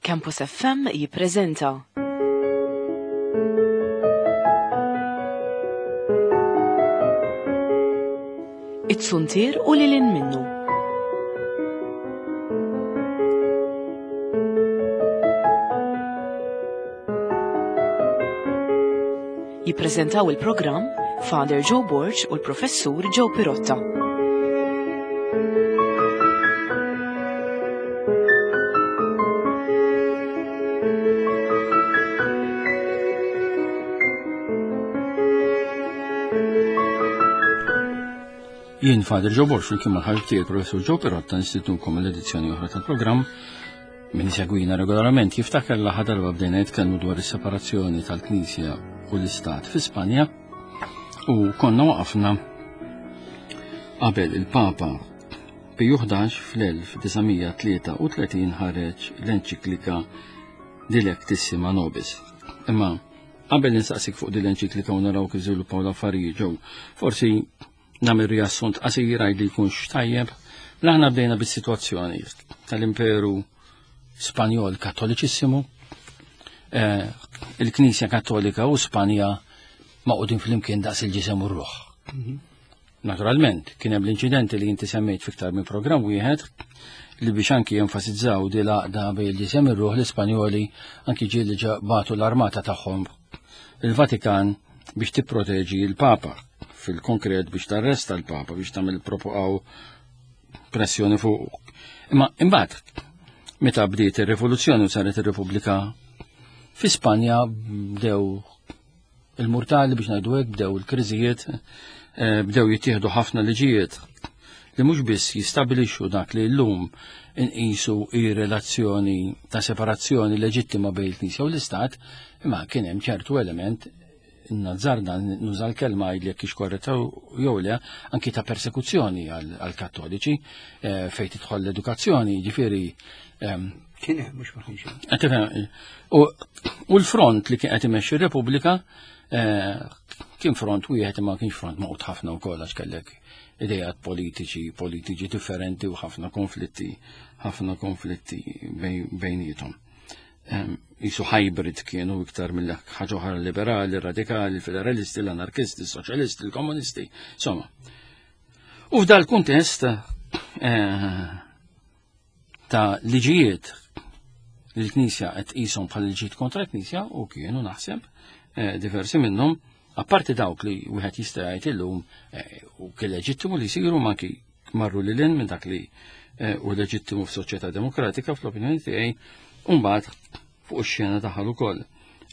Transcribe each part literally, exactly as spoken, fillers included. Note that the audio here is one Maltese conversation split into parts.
Campus F M jippreżenta It-Suntier u lil hinn minnu. Jippreżentaw il-programm Father Joe Borg u l-Professur Joe Pirotta. Jien Father Joe Borg, flimkien mal-ħabib tiegħi Professur Joe Pirotta, nistednukom l-edizzjoni oħra tal-programm. Min isegwina regolarment jiftakar l darba bdejna nitkellmu dwar is-separazzjoni tal-Knisja u l-Istat fi Spanja u konna waqafna qabel il-Papa Piju ħdax fl-elf disa' mija tlieta u tletin ħareġ l-enċiklika Dilectissima Nobis. Imma qabel nistaqsik fuq din l-enċiklika u naraw kif żviluppaw l-affarijiet ġew, forsi nagħmel riassunt qasir li jkunx tajjeb. Aħna bdejna bis-sitwazzjoni tal-Imperu Spanjol Kattoliċissimu, eh, il-Knisja Kattolika u Spanja magħqudin flimkien daqs il-ġisem u r-ruħ. Naturalment, kien hemm l-inċidenti li inti semmejt fiktar minn programm wieħed li biex anki jenfasizzaw di l-għaqda bejn il-ġisem ir-ruħ, l-Ispanjoli anki ġieli bagħtu l-armata tagħhom il-Vatikan biex tipproteġi l-Papa, fil-konkret biex tarresta l-Papa, biex tagħmel propoqaw pressjoni fuq. Imma imbagħad meta bdiet ir-rivoluzzjoni u saret ir-Repubblika fi Spanja, bdew il-murtali, biex ngħidu hekk, bdew il-kriżijiet, eh, bdew jittieħdu ħafna liġijiet li mhux biss jistabilixxu dak li llum inqisu ir-relazzjoni ta' separazzjoni leġittima bejn il-Knisja u l-Istat, imma kien hemm ċertu element, nazzarda nuża l-kelma li jekk korretta jew le, anki ta' persekuzzjoni għal-Kattoliċi eh, fejn tidħol l-edukazzjoni, ġifieri ehm, Kien hemm, mhux ma kienx hemm. Qed tifhem, U u l-front li kien qed imexxi r-Repubblika eh, kien front wieħed, imma kienx front magħqud ħafna wkoll, għax kellek idejat politiċi politiċi differenti u ħafna konflitti ħafna konflitti bejn- bejniethom. Em, Jisu hybrid kienu iktar mill ħaġa oħra: liberali, radikali, federalisti, l-anarkisti, soċjalisti, l-komunisti, insomma. U f'dal kuntest eh, ta' liġijiet li l-Knisja qed tqishom bħal liġijiet kontra l-Knisja, u kienu naħseb eh, diversi minnhom, apparti dawk li wieħed jista' jgħid illum eh, u kien leġittimu li jsiru, ma anki marru lil hinn minn dak li eh, u leġittimu f'soċjetà demokratika fl-opinjoni tiegħi, u mbagħad fuq ix-xena daħal ukoll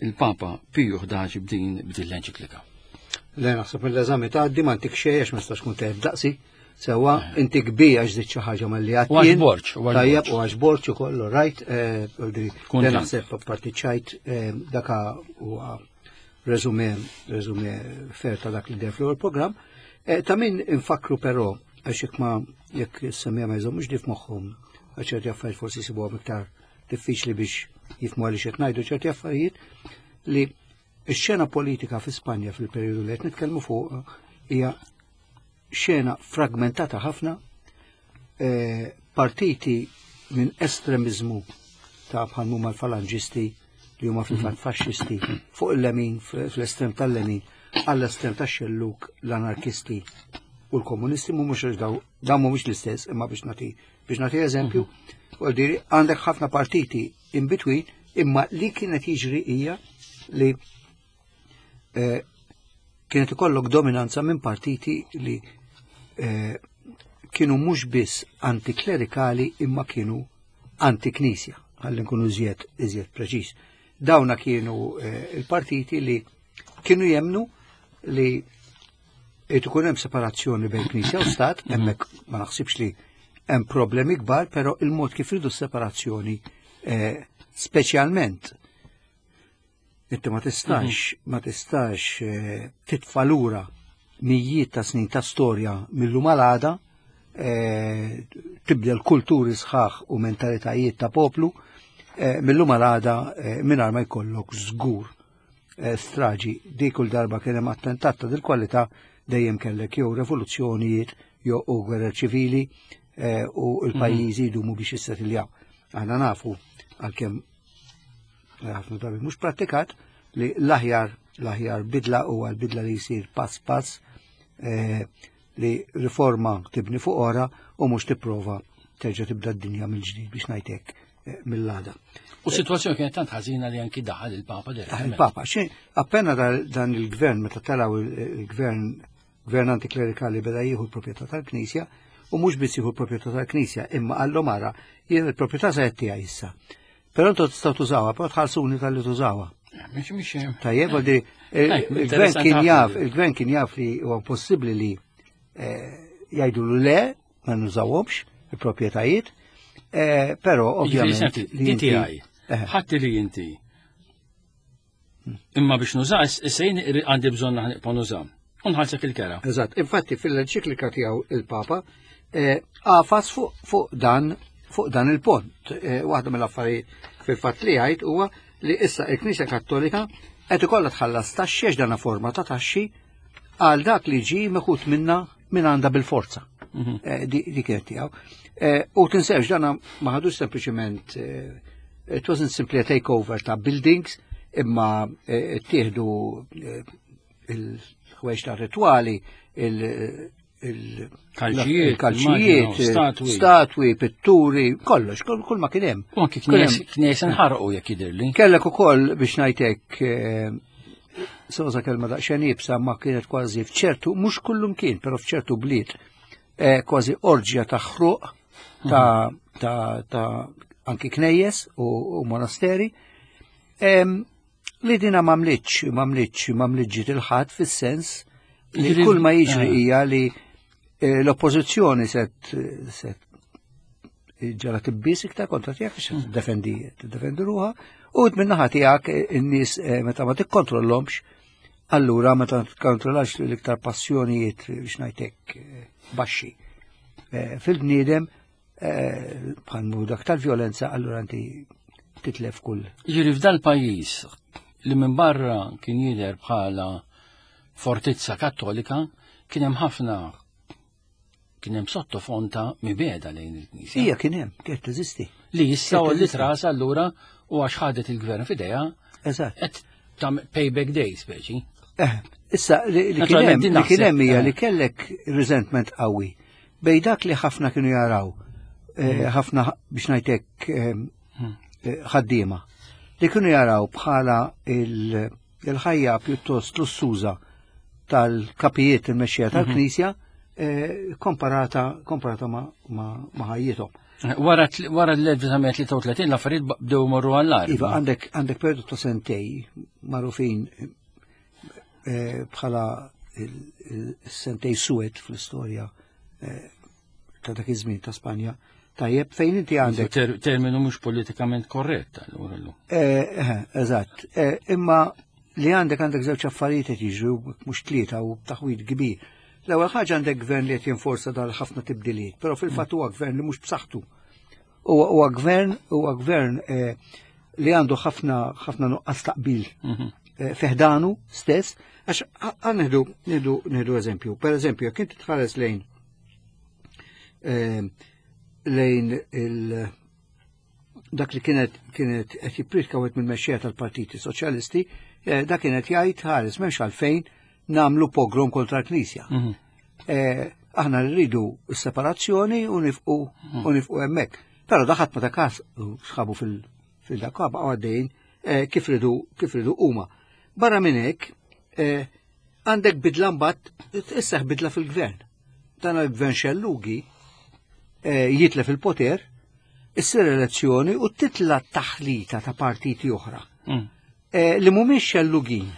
il-Papa Piju ħdax b'din b'din l-enċiklika. Le, naħseb mill-eżami tgħaddi, ma ntik xejn għax ma nistax kun tajjeb daqsi. Sewwa, inti kbi għax żidt xi ħaġa malli U għax għattien. Borġ, u għax Tajjeb, Borġ. u għax Borġ ukoll, right. eh, le Kuntent. naħseb apparti ċajt, eh, daka huwa resume resume fair ta' dak li der fl-ewwel programm. Eh, Ta' min infakru però, għax jekk ma jekk semmija ma jżommux dif moħħhom, għax ċerti affarijiet forsi jsibuhom iktar diffiċli biex jifhmu għaliex qed ngħidu ċerti affarijiet, li x-xena politika fi Spanja fil-perjodu li qed nitkellmu fuq hija xena fragmentata ħafna, eh, partiti minn estremizmu ta' bħal huma l-falanġisti, li huma fil-fatt faxxisti, fuq il-lemin, fl-estrem tal-lemin, għall-estrem tax-xelluk, l-anarkisti u l-komunisti. Mhumiex daw daw mhumiex l-istess, imma biex nagħti biex nagħti eżempju, u diri għandek ħafna partiti in between, imma li kienet jiġri hija li eh, kienet ikollok dominanza minn partiti li eh, kienu mhux biss antiklerikali imma kienu antiknisja, ħalli nkunu iżjed iżjed preċiż. Dawna kienu eh, il-partiti li kienu jemnu li irid ikun hemm separazzjoni bejn Knisja u Stat, hemmhekk ma naħsibx li hemm problemi kbar, però il-mod kif ridu separazzjoni, eh, speċjalment inti ma tistax ma tistax eh, titfa' lura mijiet ta' snin ta' storja mill-lum għal għada, eh, tibdel kulturi sħaħ u mentalitajiet ta' poplu eh, mill-lum għal għada eh, mingħajr ma jkollok żgur eh, straġi. Di kull darba kien hemm attentat ta' dil-kwalità, dejjem kellek jew revoluzzjonijiet jew u gwerer ċivili eh, u l-pajjiżi jdumu biex jissetiljaw. Aħna nafu, għalkemm ħafna drabi mhux prattikat, li l-aħjar l-aħjar bidla huwa l-bidla li jsir pass pass, eh, li riforma tibni fuq ora u mhux tipprova terġa' tibda d-dinja mill-ġdid biex ngħidlek eh, mill-għada. U s-sitwazzjoni kienet tant ħażina li anki daħal il-Papa direttament. Il-Papa, xi appena dan il-gvern meta telaw il-gvern gvern antiklerikali beda jieħu l-proprjetà tal-Knisja, u mhux biss jieħu l-proprjetà tal-Knisja, imma qallu mara jien il-proprjetà se tiegħi issa. Però intom tistgħu tużawha, però tħallsuni talli tużawha. Mhix mhix. Tajjeb, għaldi, il-gvern kien jaf, il-gvern kien jaf li huwa possibbli li eh, jgħidu le ma nużawhomx il-proprjetajiet, eh, però ovvjament. Li tiegħi. Eh. Ħadd li inti. Imma biex nuża, issa jien għandi bżonn nibqa' nuża. Unħallsek il-kera. Eżatt, infatti fil-enċiklika tiegħu il-Papa għafas fuq dan fuq dan il-pont. Waħda mill-affarijiet fil-fatt li jgħid huwa li issa il-Knisja Kattolika qed ikollha tħallas taxxi għax dana forma ta' taxxi għal dak li ġi meħud minna minn għandha bil-forza. Mhm. Di kienet tiegħu. U tinsewx dana ma ħadux sempliċement, it wasn't simply a takeover ta' buildings, imma tieħdu il-ħwejġ ta' rituali, il-kalċijiet, statwi, pitturi, kollox, kull ma kien hemm. U anki knies nħarqu jekk jidhirli. Kellek ukoll biex ngħidlek soza kelma daqsxejn iebsa ma kienet kważi f'ċertu, mhux kullum kien, però f'ċertu bliet, kważi orġja ta' ħruq ta' ta' ta' anki knejjes u monasteri. Li dina m'għamlitx, m'għamlitx, m'għamlitx il-ħadd fis-sens li kull ma jiġri hija li l-oppożizzjoni set set ġara tibbis iktar kontra tiegħek biex tiddefendi tiddefendi ruha u min-naħa tiegħek in-nies meta ma tikkontrollhomx, allura meta tikkontrollax l-iktar passjonijiet biex ngħidlek baxxi fil-bniedem bħal dak tal-vjolenza, allura inti titlef kull. Ġiri f'dal pajjiż li minn barra kien jidher bħala fortizza kattolika, kien hemm ħafna kien hemm sottofond ta' mibegħda lejn il-Knisja. Ija kien hemm, kienet teżisti. Li issa u li trasa allura u għax ħadet il-gvern f'idejha. Eżatt. Qed ta' payback day speċi. Eh, issa li kien hemm li kien hemm hija li kellek resentment qawwi bej dak li ħafna kienu jaraw, eh, ħafna biex ngħidlek eh, ħaddiema li kienu jaraw bħala il-ħajja pjuttost lussuża tal-kapijiet il-mexxija tal-Knisja komparata komparata ma' ħajjithom. Wara l-elf disa' mija tlieta u tletin l-affarijiet bdew morru għall-agħar. Iva, għandek għandek periodu ta' sentej magħrufin bħala il-sentej suwed fl-istorja ta' dak iż-żmien ta' Spanja. Tajjeb, fejn inti għandek Terminu mhux politikament korrett allura llum. Eżatt. Imma li għandek għandek żewġ affarijiet qed jiġru mhux tlieta u taħwid kbir. L-ewwel ħaġa għandek gvern li qed jinforza dal ħafna tibdiliet, però fil-fatt huwa gvern li mhux b'saħħtu. Huwa gvern huwa gvern li għandu ħafna ħafna nuqqas taqbil fiħdanu stess, għax nieħdu nieħdu nieħdu eżempju. Per eżempju, jekk inti tħares lejn lejn il dak li kienet kienet qed jippritka wieħed mill-mexxejja tal-Partiti Soċjalisti, dak kienet jgħid ħares m'hemmx għalfejn namlu pogrom kontra l-Knisja. Aħna rridu s-separazzjoni u nifqu u nifqu hemmhekk. Però daħat ma ta' każ sħabu fil-dak baqgħu għaddejjin kif ridu kif ridu huma. Barra minn hekk għandek bidla mbagħad isseħ bidla fil-gvern. Dan il-gvern xellugi jitlef il-poter, issir elezzjoni u titla taħlita ta' partiti oħra. Li mhumiex xellugin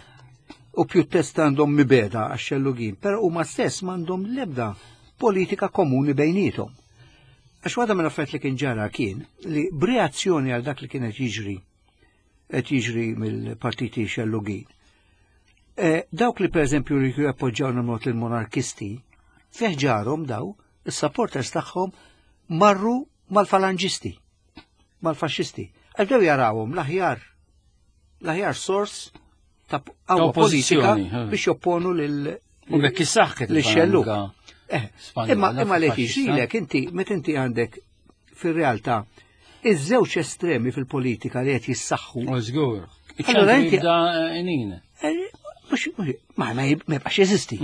u pjuttost għandhom mibeda għax xellugin, però huma stess m'għandhom l-ebda politika komuni bejnietom. Għax waħda mill-affarijiet li kien ġara kien li b'reazzjoni għal dak li kienet jiġri qed jiġri mill-partiti xellugin. Dawk li pereżempju li jappoġġjaw mod il-monarkisti, feħġarhom daw, is-supporters tagħhom marru mal-falangisti, mal-faxxisti. Għal bdew jarawhom l-aħjar l-aħjar sors ta' qawwa politika biex jopponu lil U bekk issaħħet lix-xellug. Imma imma li jiġrilek inti meta inti għandek fir-realtà Iż-żewġ estremi fil-politika li qed jissaħħu. U żgur. Allora inti- Jibda inin. eh, mhux- mhux- Ma ma jib- ma jibqax jeżisti.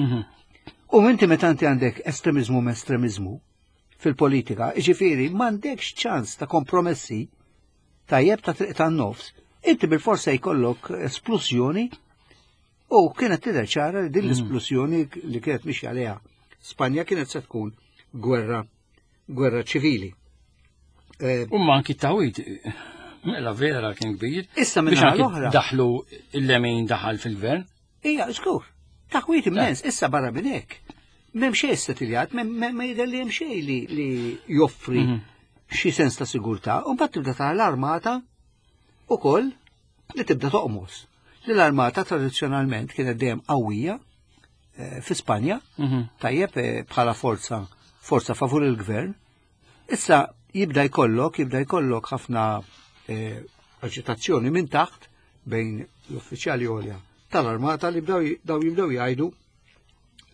U inti meta inti għandek estremizmu ma estremizmu fil-politika, ġifieri m'għandekx ċans ta' kompromessi tajjeb ta' triq tan-nofs, inti bil-forsa jkollok esplusjoni u kienet tidher ċara li din l-esplusjoni li kienet mixi għaliha Spanja kienet se tkun gwerra gwerra ċivili. Eh, U ma anki tawit, mela vera kien kbir. Issa minn Biex naħa anki l-oħra. daħlu il-lemin daħal fil-gvern. Ija, żgur, taħwit immens, issa barra minn hekk. M'hemm xejn setiljat, ma jidher li hemm xejn li, li joffri xi sens ta' sigurtà, u mbagħad tibda tara l-armata ukoll li tibda toqmos. Li l-armata tradizzjonalment kienet dejjem qawwija eh, fi Spanja, tajjeb eh, bħala forza forza favur il-gvern. Issa jibda jkollok, jibda jkollok ħafna eh, aġitazzjoni minn taħt bejn l-uffiċjali għolja tal-armata li bdew daw jibdew jgħidu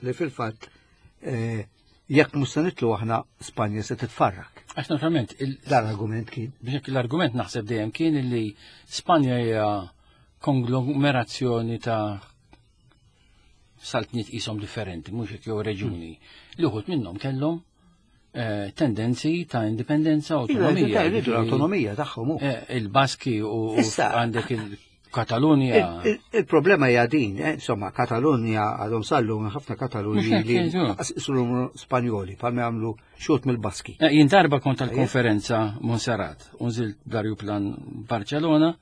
li fil-fatt eh, jekk mhux se nitlu aħna Spanja se titfarrak. Għax naturalment, il- Dan l-argument kien. biex hekk l-argument naħseb dejjem kien li Spanja hija konglomerazzjoni ta' saltniet qishom differenti, mhux hekk jew reġuni. Li uħud minnhom kellhom eh, tendenzi ta' indipendenza, autonomija. Jridu l-autonomija tagħhom hu. Eh, Il-Baski u u Issa- għandek il-Katalunja. Il- il- Il-problema hija din, eh, insomma, Katalunja għadhom sallu ħafna Katalunji Mhux hekk, li jiġu. jisru Spanjoli, palma jagħmlu xut mill-Baski. Eh, Jien darba kont tal-konferenza Montserrat, unżilt bl-arjuplan Barcellona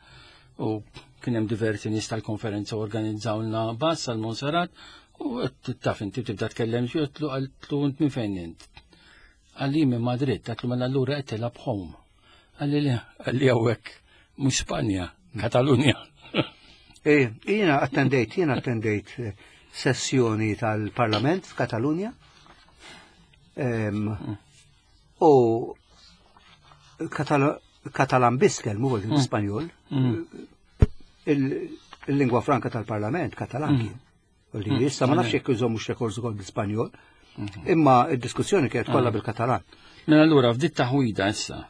u kien hemm diversi nies tal-konferenza organizzawlna bus għal Montserrat u qed taf inti tibda tkellem xi għedtlu għedtlu int minn fejn int. Qalli minn Madrid, għedtlu mela allura qed tilgħab home. Qalli li qalli hawnhekk mhux Spanja, Katalunja. Eh, Jiena attendejt, jiena attendejt eh, sessjoni tal-Parlament f'Katalunja. Em, U Katal- Katalan biss kellmu mm. Spanjol. Il- Il-lingwa franka tal-Parlament, Katalan kien. U li Issa ma nafx jekk iżommux rekords ukoll bil-Spanjol, imma id-diskussjoni kienet kollha bil-Katalan. Mela allura f'dit taħwida issa.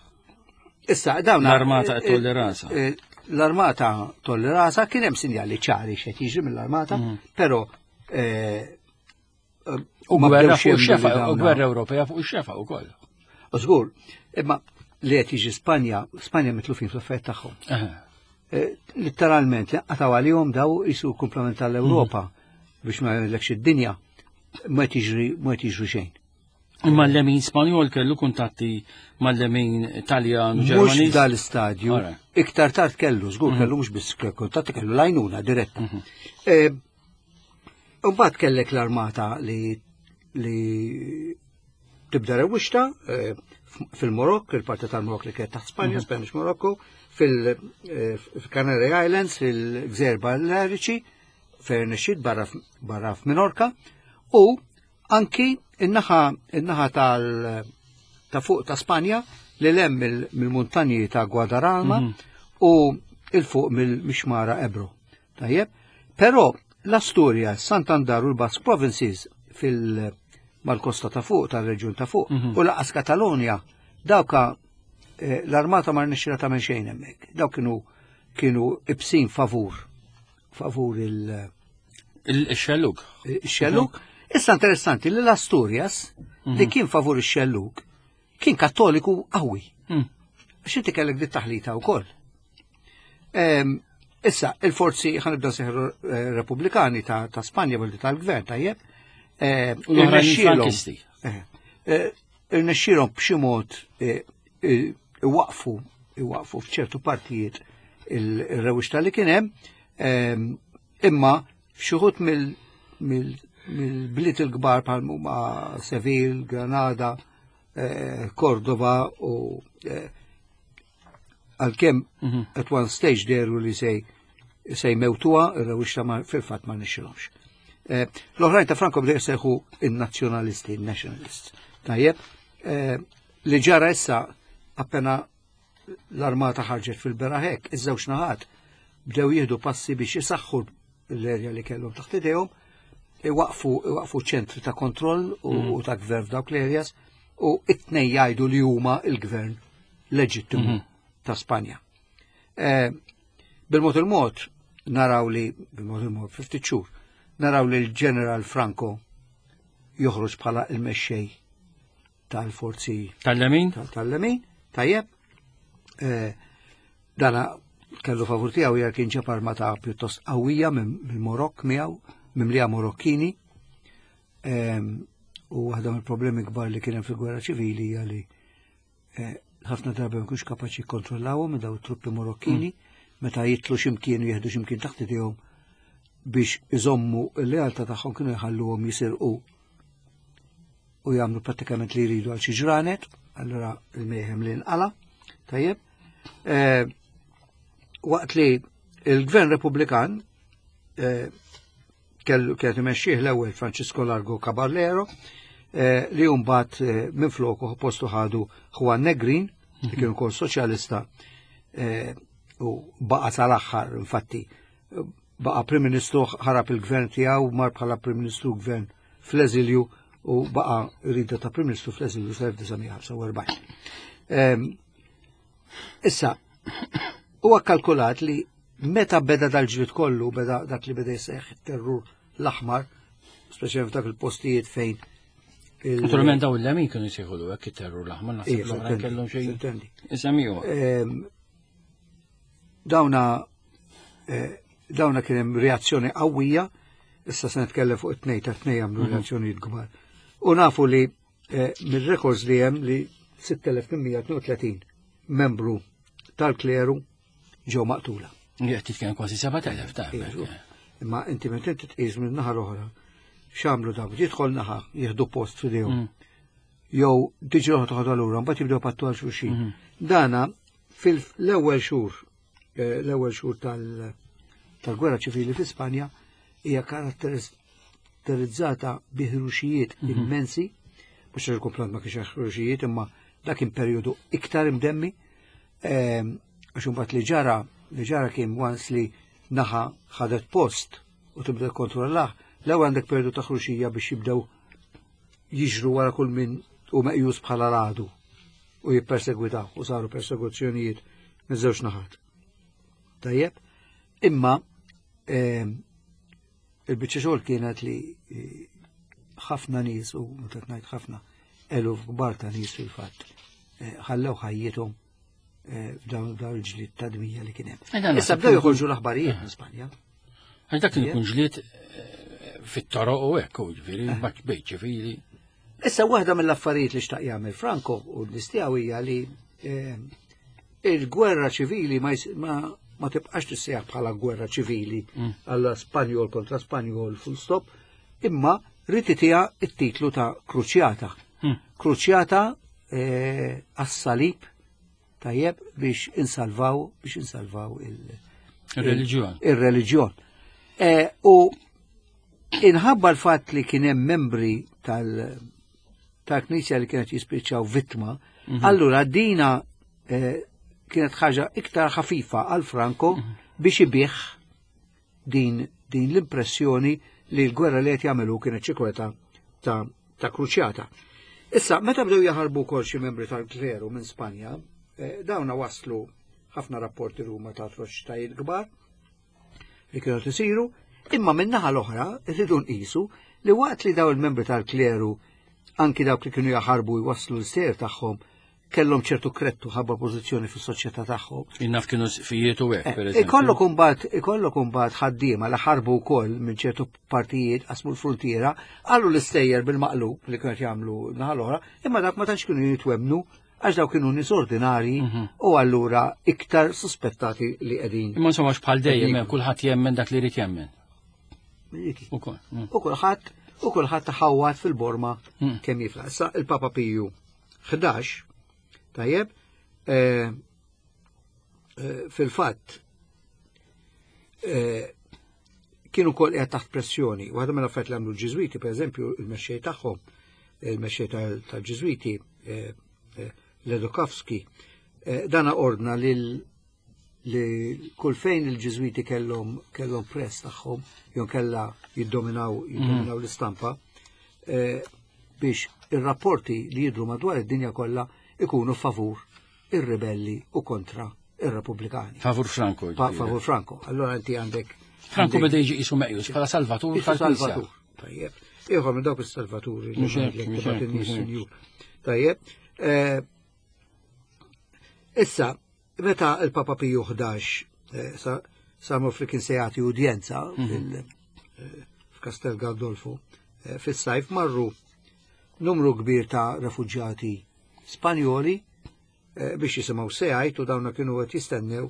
Issa, dawn L-armata qed tolli rasha. eh, L-armata tolli rasa kien hemm sinjali ċari x'qed jiġri mill-armata, però eh, eh, U ma gwerra bdewx fuq jemmnu li ix-xefa, u dawna- gwerra Ewropea fuq ix-xefa wkoll. U żgur, imma li qed jiġi Spanja, Spanja mitlufin fl-affarijiet tagħhom. Eh, Eh, Letteralment, qataw għalihom daw jisu komplement tal-Ewropa biex ma jgħidlekx id-dinja ma tiġri ma tiġri xejn. Imma l-lemin Spanjol kellu kuntatti mal-lemin Taljan u Mhux Ġermaniż. dal-istadju, Alright. iktar tard kellu, żgur kellu mhux biss kuntatti kellu lajnuna diretta. Eh, Mbagħad kellek l-armata li li tibda rewwixta eh, fil-Marokk, il-parti tal-Marokk li kienet taħt Spanja, Spanish Morocco, fil-Canary Islands, fil-Gżejjer Baleariċi, fejn nexxiet barra f- barra f'Minorka, u anki in-naħa in-naħa tal ta' fuq ta' Spanja li lem mill- mill-muntanji ta' Guadarrama u il-fuq mill-Mixmara Ebro. Tajjeb, però l-Asturia, Santander u l-Basque Provinces fil- mal-kosta ta' fuq, tal-reġjun ta' fuq, u lanqas Katalonja, dawka eh, l-armata ma rnexxila tagħmel xejn hemmhekk. Dawk kienu kienu ibsin favur favur il- Il-xelluk. il-xelluk. Issa interessanti li l-Asturias li kien favur ix-xelluk kien kattoliku qawwi. Mm. Għax inti kellek dit taħlita wkoll. Em, Issa, il-forzi ħanibda seħru eh, repubblikani ta', ta' Spanja billi tal-gvern, tajjeb. Eh, U l-oħrajn irnexxielhom- frankisti. Eh, eh, Irnexxielhom b'xi mod eh, eh, iwaqfu iwaqfu f'ċertu partijiet il-rewwixta li kien hemm, em, imma f'xi wħud mill- mill- mill-bliet il-kbar bħal huma Seville, Granada, eh, Cordova u eh, għalkemm at one stage deru li sej se jmewtuha, ir-rewwixta ma fil-fatt ma nixxilhomx. Eh, L-oħrajn ta' Franco bdew jsejħu in-nazzjonalisti, in-nationalists. Tajjeb, eh, li ġara issa appena l-armata ħarġet fil-beraħ hekk, iż-żewġ naħat bdew jieħdu passi biex jisaħħu l-erja li kellhom taħt idejhom, iwaqfu iwaqfu ċentri ta' kontroll u, u ta' gvern f'dawk l-areas u it-tnejn jgħidu li huma il-gvern leġittimu. ta' Spanja. Eh, bil-mod il-mod naraw li, bil-mod il-mod, ftit xhur, naraw li l-Ġeneral Franco joħroġ bħala il-mexxej tal-forzi Tal-lemin? Tal-lemin, tajjeb. Eh, dana kellu favur tiegħu hija kien ġab armata pjuttost qawwija mill-Marokk miegħu, mimlija Marokkini. Ehm, u waħda mill-problemi kbar li kien hemm fil-gwerra ċivili hija li eh, ħafna drabi ma kienx kapaċi jikkontrollawhom daw truppi Marokkini meta jitlu x'imkien u jieħdu x'imkien taħt idejhom, biex iżommu l-lealtà tagħhom kienu jħalluhom jisirqu u jagħmlu prattikament li jridu għal xi ġranet, allura il-mayhem li nqala, tajjeb. Eh, waqt li il-Gvern Repubblikan eh, kellu kienet imexxih l-ewwel Francisco Largo Caballero, eh, li mbagħad eh, minn floku postu ħadu Juan Negrin, li kien ukoll soċjalista eh, u baqa' sal-aħħar. Infatti baqa' Prim Ministru, ħarab il-gvern tiegħu, mar bħala Prim Ministru gvern fl-eżilju u baqa' rida ta' Prim Ministru fl-eżilju sal-elf disa' mija ħamsa u erbgħin. Ehm, Issa, huwa kalkulat li meta beda dal-ġlied kollu, beda dak li beda jseħħ terrur l-aħmar, speċjalment f'dak il-postijiet fejn il- Naturalment daw il-lemin kienu jsejħulu hekk it-terrur l-aħmar, naħseb Ija, l-oħrajn kellhom xejn. Sintendi. Isemmiju. Ehm, Dawna eh, dawna kien hemm reazzjoni qawwija, issa se nitkellem fuq it-tnejn ta' tnejn għamlu reazzjonijiet kbar. U nafu li eh, mir-records li hemm li sitt elef tmien mija tnejn u tletin membru tal-kleru ġew maqtula. Qed titkellem kważi seba' elef ta' Iġu. Imma inti meta inti tqis minn naħa l-oħra, x'għamlu dawn? Jidħol naħa, jieħdu post f'idejhom. Jew tiġi oħra toħodha lura, mbagħad jibdew pattu għal xulxin. Dana fil-ewwel xhur, eh, l-ewwel xhur tal- tal-gwerra ċivili fi Spanja hija karatterizzata bi ħruxijiet immensi, mhux għax il-komplant ma kienx ħruxijiet, imma dak kien perjodu iktar imdemmi, ehm, għax imbagħad li ġara li ġara kien once li naħa ħadet post u tibda kontrollah, l-ewwel għandek perjodu ta' ħruxija biex jibdew jiġru wara kull min u meqjus bħala l-għadu u jippersegwitaw, u saru persekuzzjonijiet minn żewġ naħat. Tajjeb, imma ehm, il-biċċa xogħol kienet li eh, ħafna nies, u meta ngħid ħafna, eluf kbar ta' nies fil-fatt eh, ħallew ħajjithom eh, f'dawn dawn il-ġlied ta' dmija li kien Eh, hemm. dan Issa naħseb bdew kien joħorġu l-aħbarijiet minn Spanja. Għax dak kien ikun ġlied eh, fit-toroq u hekk, u ġifieri bejt ċivili. Issa, waħda mill-affarijiet li xtaq jagħmel Franco u l-istiegħu hija li eh, il-gwerra ċivili ma, jis- ma, ma tibqax tissejjaħ bħala gwerra ċivili għalla Spanjol kontra Spanjol, full stop, imma ried itiha it-titlu ta' kruċjata. Mm. Kruċjata eh, għas-salib, tajjeb, biex insalvaw biex insalvaw il- Il-reliġjon. Il-reliġjon. Eh, u inħabba l-fatt li kien hemm membri tal- tal-Knisja li kienet jispiċċaw vittma, allura dina eh, kienet ħaġa iktar ħafifa għal Franco biex ibih din, din l-impressjoni li l-gwerra li qed jagħmlu kienet xi kweta ta', ta' kruċjata. Issa, meta bdew jaħarbu wkoll xi membri tal-kleru minn Spanja, eh, dawna waslu ħafna rapporti Ruma ta' atroċitajiet kbar li kienu tisiru, imma min-naħa l-oħra rridu nqisu li waqt li daw il-membri tal-kleru, anki dawk li kienu jaħarbu jwasslu l-ser tagħhom, kellhom ċertu krettu ħabba pożizzjoni fis-soċjetà tagħhom. Innaf kienu fijiet u hekk, per Eh, eżempju. Ikollok imbagħad ikollok imbagħad ħaddiema li ħarbu wkoll minn ċertu partijiet, qasmu l-frontiera, qalu l-istejjer bil-maqlub li kienu jagħmlu naħa l-oħra, imma dak ma tantx kienu jitwemnu għax daw kienu nies ordinari u allura iktar suspettati li qegħdin. Imma insomma bħal dejjem hemm kulħadd jemmen dak li jrid jemmen. Ukoll. mm. U kulħadd u kulħadd taħawat fil-borma Mm. kemm jifla. Issa il-Papa Piju ħdax, tajjeb, eh, eh, fil-fatt eh, kienu kol qiegħed taħt pressjoni. Waħda mill-affarijiet li għamlu l-Ġiżwiti, per eżempju, il-mexxej tagħhom, il-mexxej tal- tal-Ġiżwiti, eh, eh, Ledóchowski, eh, dana ordna lil li kull fejn il-Ġiżwiti kellhom kellhom press tagħhom jew kella jiddominaw jiddominaw l-istampa eh, biex ir-rapporti li jidru madwar id-dinja kollha ikunu favur ir-ribelli u kontra ir-Repubblikani. Favur Franco. Pa, favur Franco. Allora inti għandek. Franco beda jiġi qisu meqjus bħala salvatur tal-Knisja. Salvatur. Tajjeb. Ieħor minn dawk is-salvaturi li ngħidlek nies sinjur. Tajjeb. Eh, issa, meta il-Papa Piju ħdax eh, sa li kien se jagħti udjenza mhm. eh, f'Kastel Gandolfo fis-sajf marru numru kbir ta' refuġjati Spanjoli biex jisimgħu sejajt u dawna kienu qed jistennew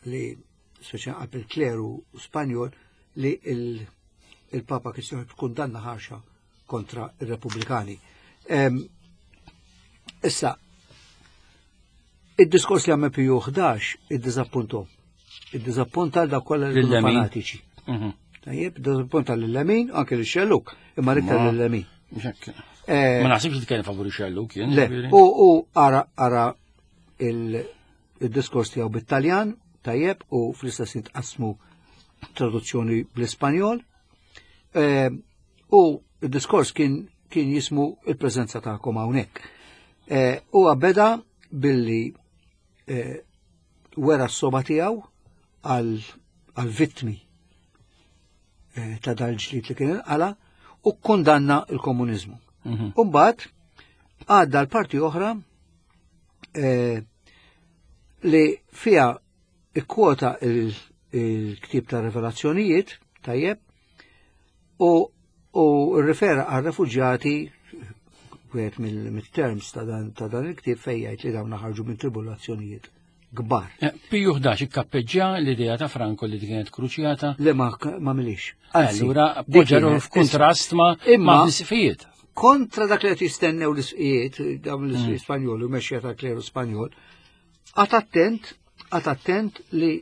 li speċjalment qalb il-kleru Spanjol li il-Papa kien kundanna ħarxa kontra ir-Repubblikani. Issa, id-diskors li għamel Piju ħdax iddiżappuntom. Iddiżappunta għal dawk kollha li kienu fanatiċi. Mhm. Tajjeb, iddiżappunta lil-lemin, anke lix-xelluk, imma l-iktar lil-lemin. Eh, Ma naħsibx li tkellem favur ix-xelluk jien. Le, u ara ara il-diskors tiegħu bit-Taljan, tajjeb, u fl-istess tqassmu traduzzjoni bl-Ispanjol. Eh, u il-diskors kien kien jismu il-preżenza tagħkom hawnhekk. Eh, u beda billi wera s-soba tiegħu għal vittmi ta' dal-ġlied li kien inqala u kkundanna l-komuniżmu. Mhm. U mbagħad għadda l-parti oħra li fiha ikkwota il-ktieb ta' Revelazzjonijiet, tajjeb, u u rrifera għal refuġjati wieħed mill-terms ta' dan il-ktieb fejn jgħid li dawn ħarġu minn tribulazzjonijiet kbar. Eh, Piju ħdax ikkappeġġja l-idea ta' Franco li kienet kruċjata. Le ma ma milix. Allura poġġeru f'kuntrast ma' ma' l-isqfijiet. Kontra dak li qed jistennew l-isqfijiet, dawn l-isqfijiet mm. Spanjoli u mexxija tal-kleru Spanjol, għad attent, għad attent li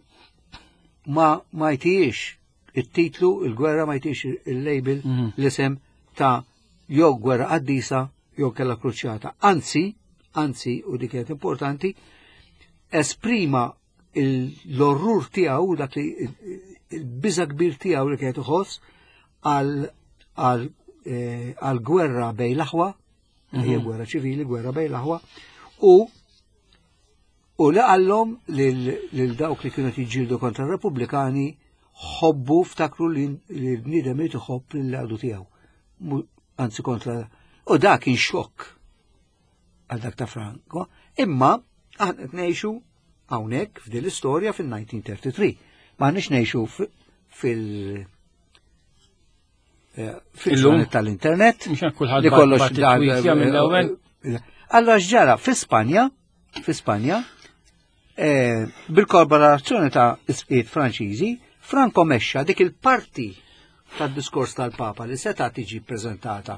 ma ma jtijiex it-titlu, il-gwerra ma jtijiex il-label, mhm. l-isem ta' jew gwerra qaddisa jew kella kruċjata. Anzi, anzi, u dik kienet importanti, esprima l-orrur tiegħu dak li il-biża kbir tiegħu li kienet iħoss għal eh, gwerra bejn l-aħwa, hija mhm. gwerra ċivili, gwerra bejn l-aħwa, u u li qallhom lil dawk li kienu jiġġieldu kontra r-Repubblikani ħobbu ftakru li l-bniedem irid iħobb lill-għadu tiegħu. Anzi kontra. U dak kien xokk għal dak ta' Franco, imma aħna qed ngħixu hawnhekk f'din l-istorja fil-elf disa' mija u tlieta u tletin. M'aħniex ngħixu fil- eh, fil-ġranet tal-internet. Li kollox mill-ewwel. Allora x'ġara fi Spanja, fi Spanja, eh, bil-kollaborazzjoni ta' isqiet Franċiżi, Franco mexxa dik il-parti tad-diskors tal-Papa li seta' tiġi ppreżentata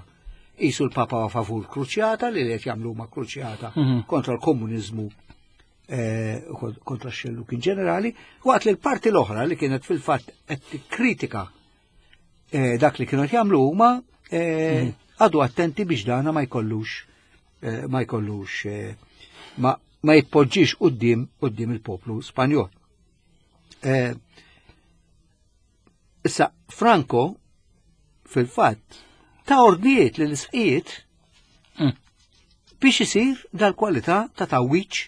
qisu l-Papa huwa favur kruċjata li qed jagħmlu ma' kruċjata mhm. kontra l-komuniżmu eh, kontra x-xelluk in ġenerali, waqt li l-parti l-oħra li kienet fil-fatt qed tikkritika eh, dak li kienu jagħmlu huma eh, mhm. għadu attenti biex dana ma jkollux ma jkollux ma ma jitpoġġix quddiem quddiem il-poplu Spanjol. Issa Franco fil-fatt ta' ordnijiet li l-isqiet mm. biex isir dal-kwalità ta' tawiċ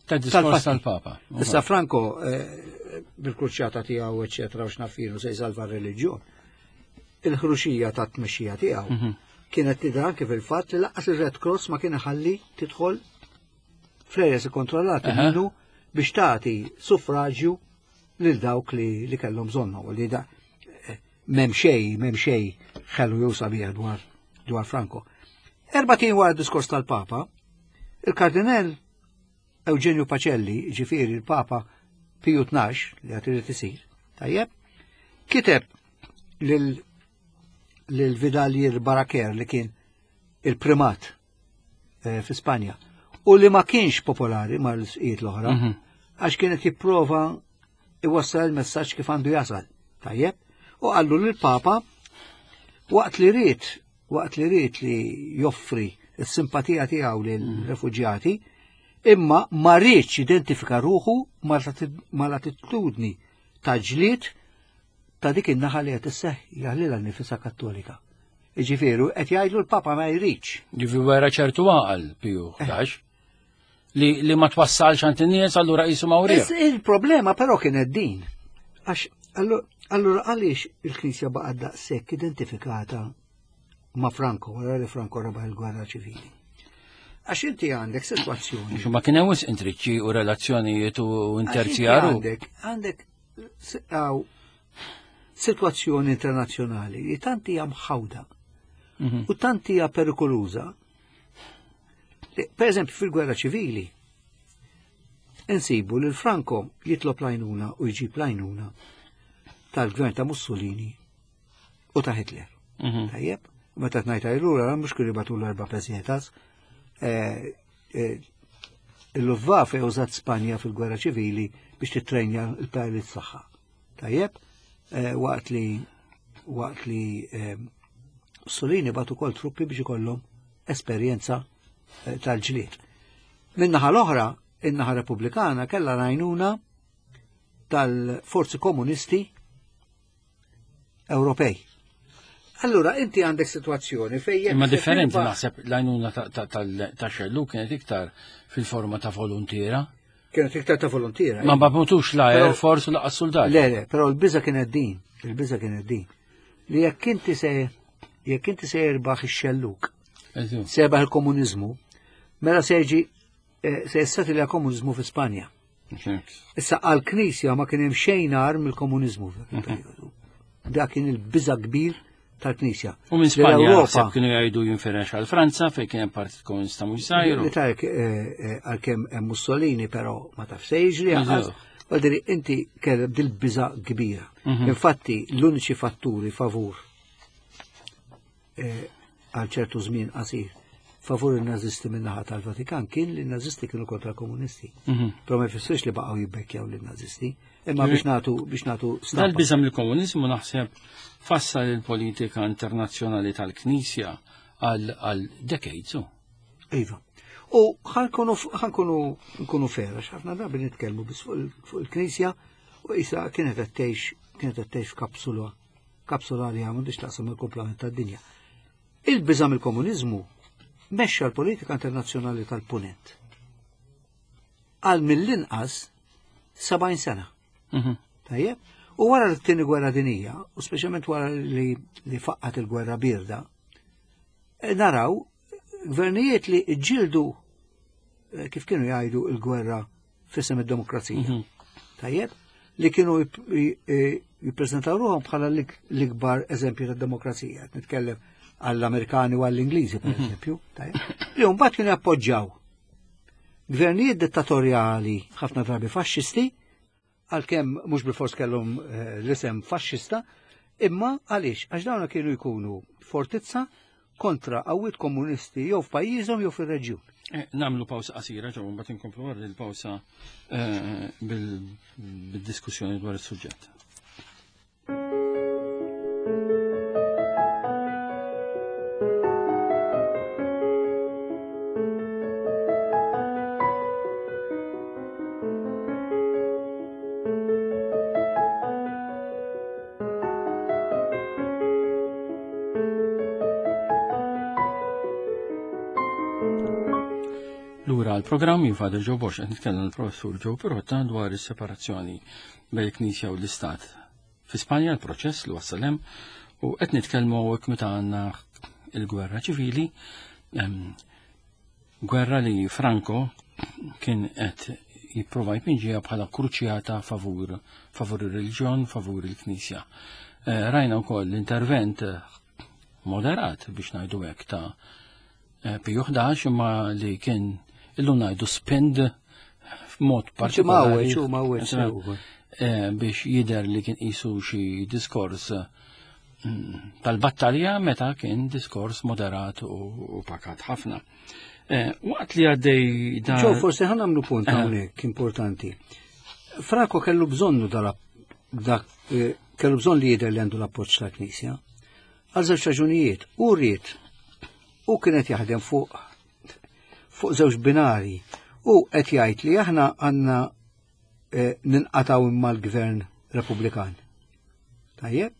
ta' diskors tal-Papa. Issa Franco eh, bil-kruċjata tiegħu eċetera u x'nafilu se jsalva r-reliġjon. Il-ħruxija ta' tmexxija tiegħu mhm. kienet tidher anke fil-fatt li lanqas ir-Red Cross ma kien iħalli tidħol fl-areas ikkontrollati minnu biex tagħti suffraġju lil dawk li, li kellhom bżonnhom u li da eh, m'hemm xejn, m'hemm xejn ħelu jew sabiħ dwar dwar Franco. Erba' tien wara d-diskors tal-Papa, il-Kardinal Eugenio Pacelli, ġifieri il-Papa Piju tnax li għad irid isir, tajjeb, kiteb lil lil Vidalier Baraker li kien il-primat eh, fi Spanja u li ma kienx popolari mal-isqijiet l-oħra, mhm. għax kienet jipprova iwassal il-messaġġ kif għandu jasal. Tajjeb, u qallu lill-Papa waqt li ried waqt li ried li joffri s-simpatija tiegħu lill-refuġjati, imma ma riedx identifika ruħu mal-attitudni ta' ġlied ta' dik in-naħa li qed isseħħ jaħlilha nifisha Kattolika. Jiġifieri qed jgħidlu l-Papa ma jridx. Ġifieri wera ċertu għaqal Piju ħdax. li, li ma twassalx għand in-nies allura qisu ma wriex. Il-problema però kienet din. Għax allura għaliex il-Knisja baqgħet daqshekk identifikata ma' Franco wara li Franco rebaħ il-gwerra ċivili. Għax inti għandek sitwazzjoni. Ma kien hemm wisq intriċċi u relazzjonijiet u interzjaru. Għandek għandek sitwazzjoni internazzjonali li tant hija mħawda u tant hija perikoluża. Per eżempju fil-gwerra ċivili insibu li l-Franco jitlob l-għajnuna u jġib l-għajnuna tal-gvern ta' Mussolini u ta' Hitler. Tajjeb, meta tnajta jrura, mhux kienu jibgħatu l-erba' pesetas. Il-Luftwaffe użat Spanja fil-gwerra ċivili biex titrenja l-pilots tagħha. Tajjeb, waqt li waqt li Mussolini bagħtu ukoll truppi biex ikollhom esperjenza tal-ġlied. Min-naħa l-oħra, in-naħa Repubblikana kellha l-għajnuna tal-forzi komunisti Ewropej. Allura, inti għandek situazzjoni fejn Imma differenti naħseb l-għajnuna ta' xellu kienet iktar fil-forma ta' volontiera. Kienet iktar ta' volontiera. Ma bagħtux la Air Force u laqas soldati. Le, le, però l-biża kienet din, il-biża kienet din. Li jekk inti se jekk inti se jirbaħ ix-xelluk, se jirbaħ il-komuniżmu, mela se jiġi se jissettilja komuniżmu fi Spanja. Issa għall-Knisja ma kien hemm xejn agħar mill-komuniżmu f'dak il-perjodu. Dak kien il-biża kbir tal-Knisja. U minn Spanja kienu jgħidu jinfirex għal Franza fejn kien hemm Partit Komunista mhux żgħir. Li tarek għalkemm hemm Mussolini però ma taf se jiġri għal inti kellek dil-biża kbira. Infatti l-uniċi fatturi favur għal ċertu żmien qasir favur il-nazisti min-naħa tal-Vatikan kien li n-nazisti kienu kontra l-komunisti. Però ma jfissirx li baqgħu jibbekkjaw lin-nazisti, imma biex nagħtu biex nagħtu stampa. Dal-biża' mill-komuniżmu naħseb fassal il-politika internazzjonali tal-Knisja għal decades. Iva. U ħankunu ħankunu nkunu fera, ħafna drabi nitkellmu biss fuq il-Knisja u issa kienet qed tgħix kienet qed tgħix f'kapsula kapsula li m'għandix taqsam il-kumplament tad-dinja. Il-biża' mill-komuniżmu mexxa l-politika internazzjonali tal-Punent għal mill-inqas sebgħin sena. Tajjeb? U wara l-tieni gwerra dinija, u speċjalment wara li, li faqqat il-gwerra birda, naraw gvernijiet li ġildu kif kienu jgħidu il-gwerra f'isem id-demokrazija. Tajjeb? Li kienu jippreżentaw ruħhom bħala l-ikbar eżempju tad-demokrazija. Nitkellem għall-Amerikani u għall-Ingliżi, per eżempju, li mbagħad kienu jappoġġjaw gvernijiet dittatorjali ħafna drabi faxxisti, għalkemm mhux bilfors kellhom l-isem faxxista, imma għaliex għax dawn kienu jkunu fortizza kontra qawwiet komunisti jew f'pajjiżhom jew fir-reġjun. Namlu pawsa qasira ġew mbagħad inkomplu wara il-pawsa bil-diskussjoni dwar is-suġġett. Lura għal-programm jien Father Joe Borg qed nitkellem l-Professur Joe Pirotta dwar is-separazzjoni bejn il-Knisja u l-Istat. Fi Spanja l-proċess li wassal hemm u qed nitkellmu hawnhekk meta għandna il-gwerra ċivili, gwerra li Franco kien qed jipprova jpinġiha bħala kruċjata favur favur ir-reliġjon, favur il-Knisja. Rajna wkoll l-intervent moderat biex ngħidu hekk ta' Piju ħdax imma li kien illum ngħidu spend f'mod partikolari biex jidher li kien qisu xi diskors tal-battalja meta kien diskors moderat u pakat ħafna. Waqt li għaddej dan. Ġew forsi ħa nagħmlu punt hawnhekk importanti. Franco kellu bżonnu dak kellu bżonn li jidher li għandu l-appoġġ tal-Knisja. Għal żewġ raġunijiet, u ried u kienet jaħdem fuq fuq żewġ binari u qed jgħid li aħna għandna ninqataw imma l-gvern Repubblikan. Tajjeb?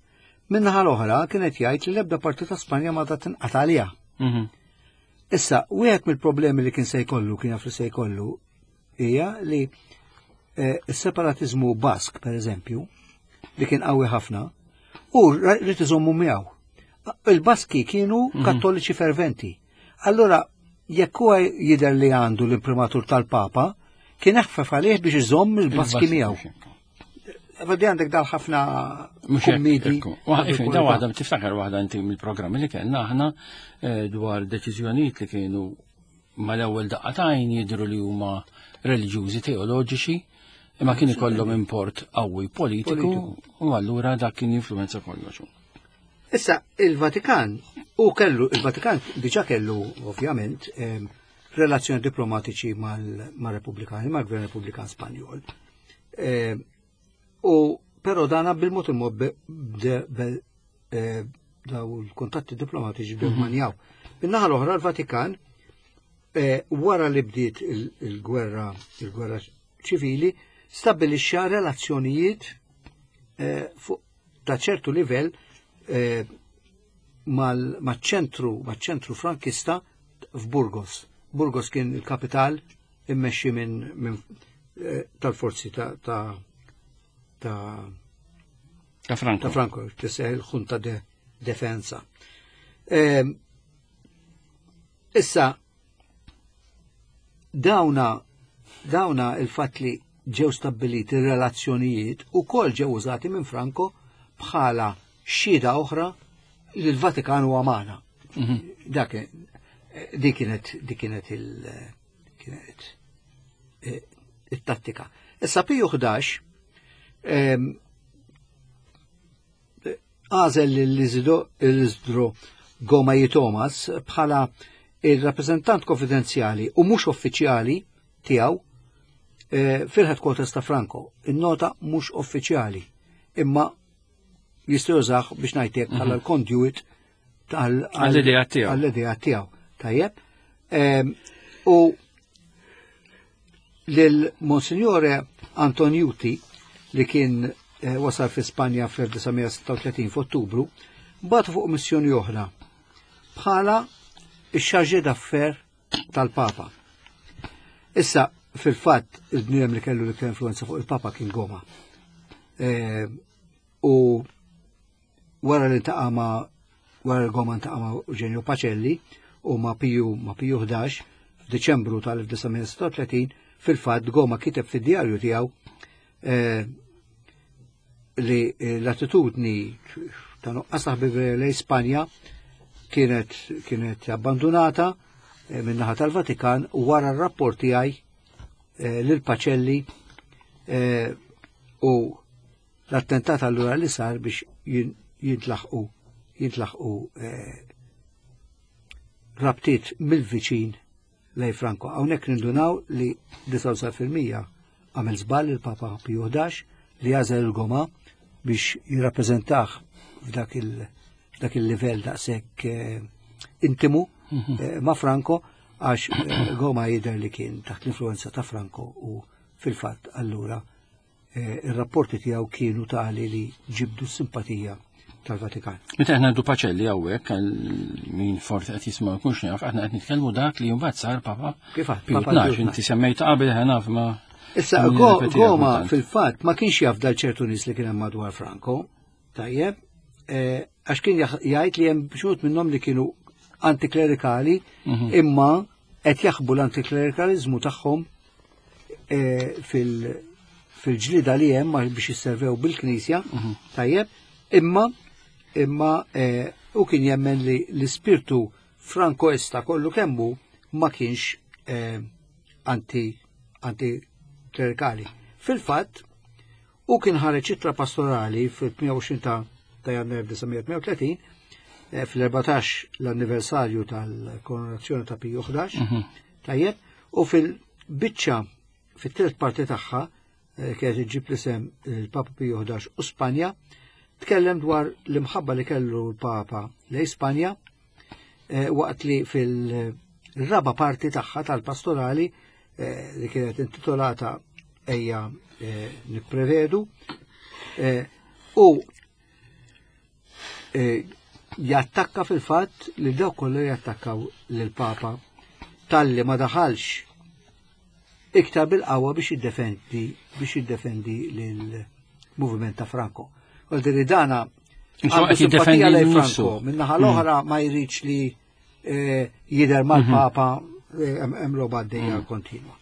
Min-naħa l-oħra kienet jgħid li l-ebda parti ta' Spanja ma ta' tinqata' għaliha. Issa, wieħed mill-problemi li kien se jkollu, kien jaf li se jkollu, hija li eh, s-separatizmu Bask, per eżempju, li kien qawwi ħafna, u rrid iżommu miegħu. Il-Baski kienu mhm. kattoliċi ferventi. Allora, jekk huwa jidher li għandu l-imprimatur tal-Papa, kien eħfef għalih biex iżomm il-Baski miegħu. Vadi għandek dal ħafna kummidi. Da waħda, tiftakar waħda inti mill-programmi li kellna aħna eh, dwar deċiżjonijiet li kienu mal-ewwel daqqatajn jidhru li huma reliġjużi teoloġiċi, imma kien ikollhom import qawwi politiku u allura dak kien jinfluwenza kollox. Issa, il-Vatikan, u kellu, il-Vatikan diġa kellu, ovvjament, relazzjoni diplomatiċi mal-Repubblikani, mal-Gvern Repubblikan Spanjol. U però dana bil-mod il-mod eh, daw l-kontatti diplomatiċi bdew mhm. manjaw. Min-naħa l-oħra l-Vatikan eh, wara li bdiet il-gwerra il-gwerra ċivili stabbilixxa relazzjonijiet eh, ta' ċertu livell maċ-ċentru maċ-ċentru frankista f'Burgos. Burgos kien il-kapital immexxi minn tal-forzi ta' ta' ta' Franco. Ta' Franco, tisseħ il-Junta de Defensa. Ehm, issa, dawna, dawna il-fat li ġew stabbiliti relazzjonijiet u kol ġew użati minn Franco bħala xhieda oħra li l-Vatikan huwa magħna. Mhm. Dak dik kienet dik kienet il kienet eh, it-tattika. Issa Piju ħdax għażel l-Isidro Goma Thomas bħala il-rappreżentant konfidenzjali u mhux uffiċjali tiegħu eh, fil-headquarters ta' Franco. In-nota mhux uffiċjali, imma jista' jużah biex ngħidlek bħala mhm. l-conduit għall-idea tiegħu. Għall-idea tiegħu. Tajjeb. U lil Monsignore Antoniuti li kien eh, wasal fi Spanja fl-elf disa' mija sitta u tletin f'Ottubru, bagħtu fuq missjoni oħra bħala ix-chargé d'affaires tal-Papa. Issa, fil-fatt, il-bniedem li kellu l-iktar influenza fuq il-Papa kien Goma. Eh, u wara li ntaqa' ma' wara li Goma ntaqa' ma' Eugenio Pacelli u ma' Piju ma' Piju ħdax f'Diċembru tal-elf disa' mija sitta u tletin, fil-fatt Goma kiteb fid-djarju tiegħu eh, li l-attitudni ta' nuqqas ħbiberija lejn Spanja kienet, kienet abbandonata, eh, min-naħa tal-Vatikan wara r-rapport tiegħi, eh, lil Pacelli, eh, u l-attentat allura li sar biex jintlaħqu, jintlaħqu, eh, rabtiet mill-viċin lej Franco. Hawnhekk nindunaw li disgħa u disgħin fil-mija għamel żball il-Papa Piju ħdax li għażel il-Goma biex jirrappreżentah f'dak il-, f'dak il-livell daqshekk, eh, intimu, Mhm. eh, ma' Franco, għax, eh, Goma jidher li kien taħt l-influenza ta' Franco u fil-fatt allura, eh, ir-rapporti tiegħu kienu tali li ġibdu s-simpatija tal-Vatikan. Meta aħna għandu Pacelli hawnhekk, għal min forsi qed jisma' jkunx jaf, aħna qed nitkellmu dak li mbagħad sar Papa Kif għad? Piju Papa tnax, Piju inti semmejt qabel ħa naf ma Issa, Min Go- jirrepeti Goma kultant. fil-fatt ma kienx jaf dal ċertu nies li kien hemm madwar Franco, tajjeb, eh, għax kien jaħ-, jgħid li hemm xhud minnhom li kienu antiklerikali, Mhm. imma qed jaħbu l-antiklerikalizmu tagħhom, eh, fil-, fil-ġlida li hemm biex jisservew bil-Knisja, Mhm. tajjeb, imma, imma, eh, u kien jemmen li l-ispirtu frankoista kollu kemmu ma kienx, eh, anti, antiklerikali. Fil-fatt, u kien ħareġ ittra pastorali fil-tmien u għoxrin ta', ta' Jannar elf disa' mija tmien u tletin, eh, fl-erbatax l-anniversarju tal-koronazzjoni ta' Piju ħdax, Mhm. tajjeb, u fil-biċċa, fit-tielet parti tagħha, eh, kienet iġġib l-isem il-Papa Piju ħdax u Spanja, tkellem dwar l-imħabba li kellu l-Papa lejn Spanja, eh, waqt li fil-raba parti tagħha tal-pastorali, eh, li kienet intitolata Ejja, eh, nipprevedu, eh, u, eh, jattakka fil-fatt li dawk kollu jattakkaw lill-Papa talli ma daħalx iktar bil-qawwa biex jiddefendi biex jiddefendi lill-moviment ta' Franco. Għal dana għandu simpatija lejn Franco, min-naħa l-oħra ma jridx li eh, jidher mal-Papa eh, hemm logħba għaddejja kontinwa.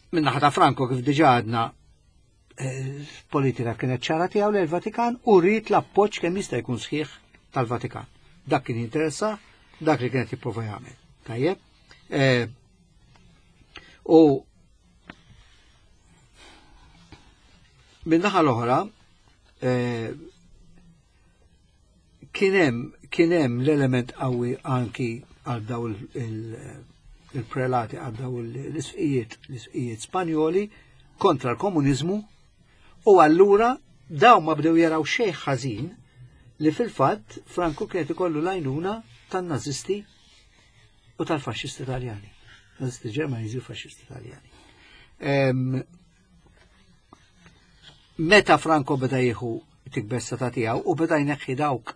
Min-naħa ta' Franco kif diġà għadna eh, politika kienet ċara tiegħu lejn il-Vatikan u rrid l-appoġġ kemm jista' jkun sħiħ tal-Vatikan. Dak kien jinteressa, dak li kienet jipprova jagħmel. Tajjeb? U min-naħa l-oħra kien hemm kien hemm l-element qawwi anki għal daw il-prelati, għal daw l-isqijiet l-isqijiet Spanjoli kontra l-komuniżmu, u allura daw ma bdew jaraw xejn ħażin li fil-fatt Franco kienet ikollu l-għajnuna tan-nazisti u tal-faxxisti Taljani. Nazisti Ġermaniżi u faxxisti Taljani. Meta Franco beda jieħu tikber seta' tiegħu u beda jneħħi dawk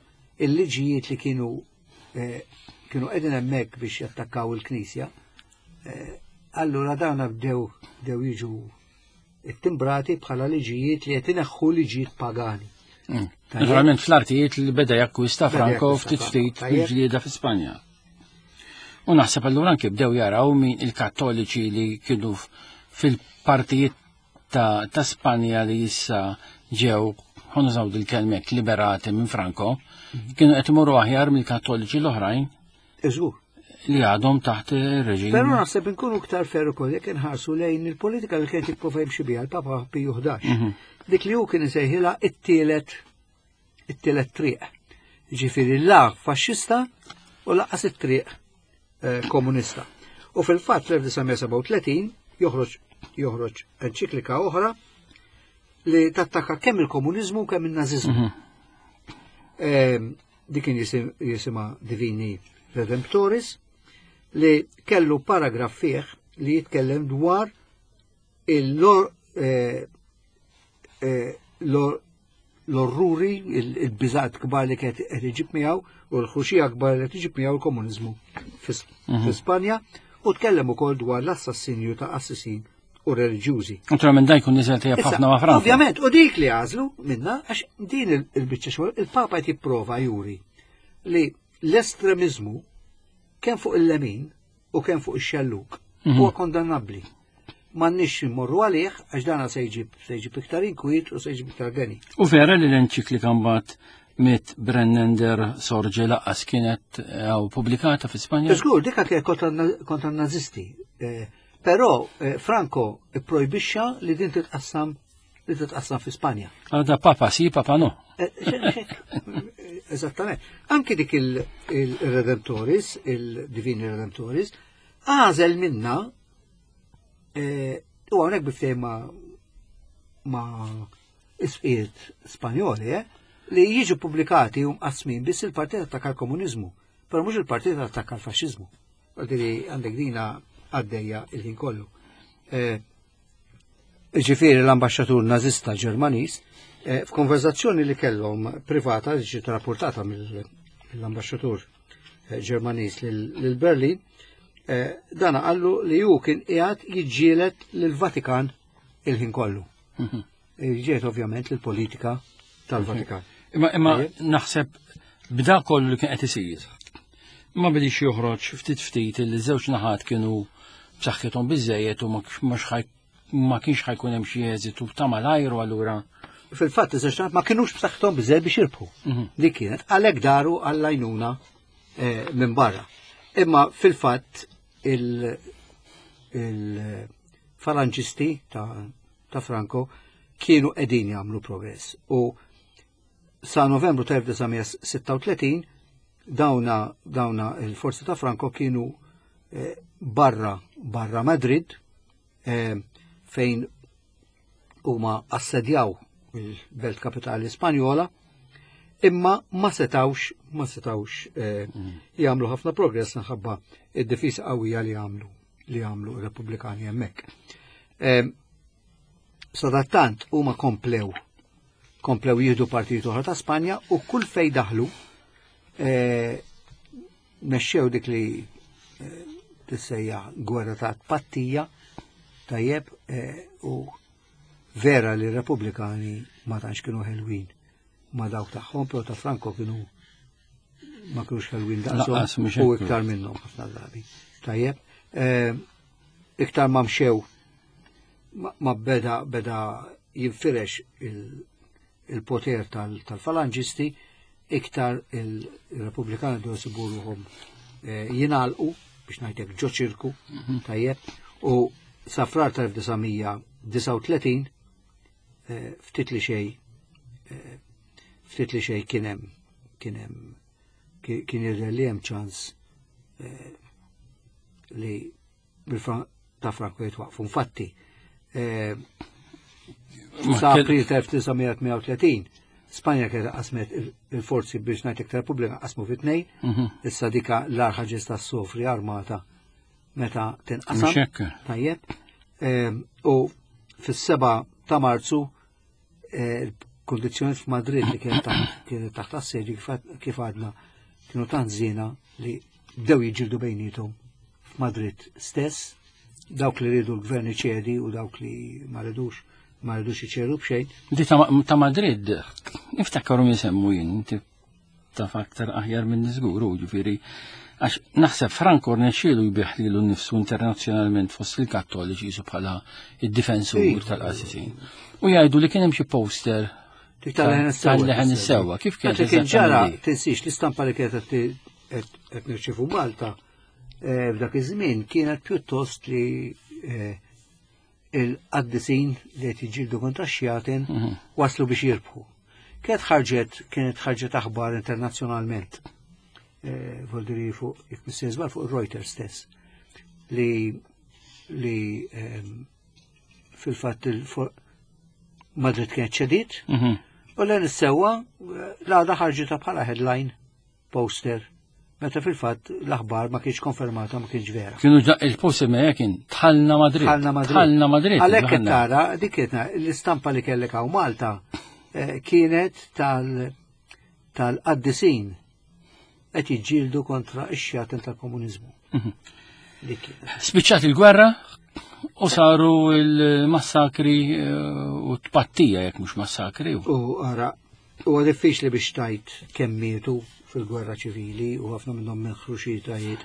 il-liġijiet li kienu kienu qegħdin hemmhekk biex jattakkaw il-Knisja, allura dawn bdew bdew jiġu ittimbrati bħala liġijiet li qed ineħħu liġijiet pagani. Naturalment fl-artijiet li beda jakkwista Franco ftit ftit bil-ġlieda fi Spanja. U naħseb allura anke bdew jaraw min il-Kattoliċi li kienu fil-partijiet ta', ta Spanja li issa ġew, ħa nużaw dil-kelmek, liberati minn Franco, kienu qed imorru aħjar mill-Kattoliċi l-oħrajn. Iżgur. Li għadhom taħt ir-reġim. Però naħseb inkunu iktar fer ukoll jekk inħarsu lejn il-politika li kienet jipprova jimxi biha l-Papa Piju ħdax. Dik li hu kien isejħilha it-tielet it-tielet triq. Ġifieri la faxxista u laqas it-triq komunista. U fil-fatt fl-elf disa' mija sebgħa u tletin joħroġ joħroġ enċiklika oħra li tattakka kemm il-komuniżmu kemm in-naziżmu. Dik kien jisimha Divini Redemptoris, li kellu paragraf fih li jitkellem dwar l-orruri, il-biżat kbar li kienet qed iġib miegħu u l-ħruxija kbar li qed iġib miegħu l-komuniżmu fi Spanja, u tkellem ukoll dwar l-assassinju ta' assisin u reliġjużi. Naturalment dan jkun niżel tajjeb ħafna ma' Franco. Ovvjament, u dik li għażlu minna, għax din il-biċċa xogħol il-Papa qed jipprova juri li l-estremiżmu kemm fuq il-lemin u kemm fuq ix-xelluk huwa kondannabbli. M'għandniex immorru għalih għax dana se jġib se jġib iktar inkwiet u se jġib iktar deni. U vera li l-enċiklika mbagħad mit Brennender Sorge laqqas kienet pubblikata fi Spanja? Żgur, dik kienet kontra n-nazisti. Però Franco ipprojbixxa li din titqassam li titqassam fi Spanja. Għada papa si, papa no. Eżattament. Anki dik il-Redemptoris, il-Divini Redemptoris, għażel minna u hawnhekk biftej ma' isqiet Spanjoli, li jiġu pubblikati u mqassmin biss il-partit attakka l-komuniżmu, però mhux il-partit attakka l-faxxiżmu. Għandek dina għaddejja il-ħin kollu. Ġifieri l-ambaxxatur nażista Ġermaniż f'konverzazzjoni li kellhom privata li ġiet rapportata mill-ambaxxatur Ġermaniż lil Berlin, dana qallu li hu kien qiegħed jiġġieled lill-Vatikan il-ħin kollu. Ġiet ovvjament lill-politika tal-Vatikan. Imma imma naħseb b'da kollu li kien qed isir. Ma bidix joħroġ ftit ftit li żewġ naħat kienu b'saħħithom biżejjed u ma kienx ħajkun hemm xi eżitu ta' malajru allura. Fil-fatt iż-żewġ naħat ma kinux b'saħħithom biżejjed biex jirbħu. Dik kienet għalhekk daru għall-għajnuna minn barra. Imma fil-fatt il-falanġisti ta' Franco kienu qegħdin jagħmlu progress u sa' Novembru ta' elf disa' mija sitta u tletin dawna dawna il-forzi ta' Franco kienu barra barra Madrid fejn huma assedjaw il-belt kapitali Spanjola, imma ma setawx ma setawx jagħmlu ħafna progress minħabba id-difiża qawwija li għamlu li għamlu r-Repubblikani hemmhekk. Sadattant huma komplew komplew jieħdu partijiet oħra ta' Spanja u kull fej daħlu mexxew dik li Tissejjaħ gwerra ta' tpattija, tajjeb, eh, u vera li r-Repubblikani ma tantx kienu ħelwin ma dawk tagħhom, però ta' Franco kienu ma kienux ħelwin daqshom Lanqas mhux u hekk. iktar minnhom ħafna drabi. Tajjeb, eh, iktar ma mxew ma- ma beda beda jinfirex il- il-poter tal- tal-falanġisti, iktar il-Repubblikani bdew isibu ruħhom eh, jingħalqu biex ngħidlek ġo ċirku, tajjeb, u sa Frar tal-elf disa' mija disgħa u tletin eh, ftit li xej eh, ftit li xej kien hemm kien hemm ki- kien jidher li hemm ċans eh, li bil-Fran- ta' Franco jitwaqfu. Infatti, eh, Ma sa kell- April tal-elf disa' mija tmienja u tletin Spanja kienet qasmet il- il-forzi biex ngħidlek ta' Repubblika qasmu fi tnejn, Mhm. issa dika l-agħar ħaġa tista' ssofri armata meta tinqasam. Mhux hekk. Tajjeb. Ehm, U fis-seba ta' Marzu eh, il-kondizzjoni f'Madrid li kienet taħt kienet taħt assedju kif- kif għadna kienu tant żiena li bdew jiġġieldu bejniethom f'Madrid stess, dawk li ridu l-gvern iċedi u dawk li ma ridux ma ridux iċedu b'xejn. Di ta' ta' Madrid, niftakru jisemmu jien, inti taf aktar aħjar minn żgur, u ġifieri, għax naħseb Franco rnexxielu jbigħ lilu nnifsu internazzjonalment fost il-Kattoliċi jisu bħala id-difensur Iva. tal-qasisin. U jgħidu li kien hemm xi poster Dik tal-leħen is-sewwa. tal-leħen is-sewwa. Kif kienet Dak li kien ġara, eżattament di? tinsix, l-istampa li kienet qed qed nirċievu Malta eh, f'dak iż-żmien kienet pjuttost li eh, il-qaddisin li qed jiġġieldu kontra x-xjaten Mhm. waslu biex jirbħu. Kienet ħarġet kienet ħarġet aħbar internazzjonalment. Eh, Voldiri fuq jekk mhux żball fuq Reuters stess li li ehm, fil-fatt il Madrid kienet ċedit Mhm. u l is-sewwa l-għada ħarġitha bħala headline poster meta fil-fatt l-aħbar ma kienx konfermata, ma kienx vera. Kienu ġa il-poster ma kien dħalna Madrid. Dħalna Madrid. Dħalna Madrid. Għalhekk qed dħalna. tara dik kienet l-istampa li kellek hawn Malta eh, kienet tal tal-qaddisin qed jiġġieldu kontra x-xjaten tal-komuniżmu. Mhm. Dik kienet. Spiċċat il-gwerra u saru il-massakri eh, u tpattija jekk mhux massakri. U ara, huwa diffiċli biex tgħid kemm mietu fil-gwerra ċivili u ħafna minnhom minn ħruxitajiet.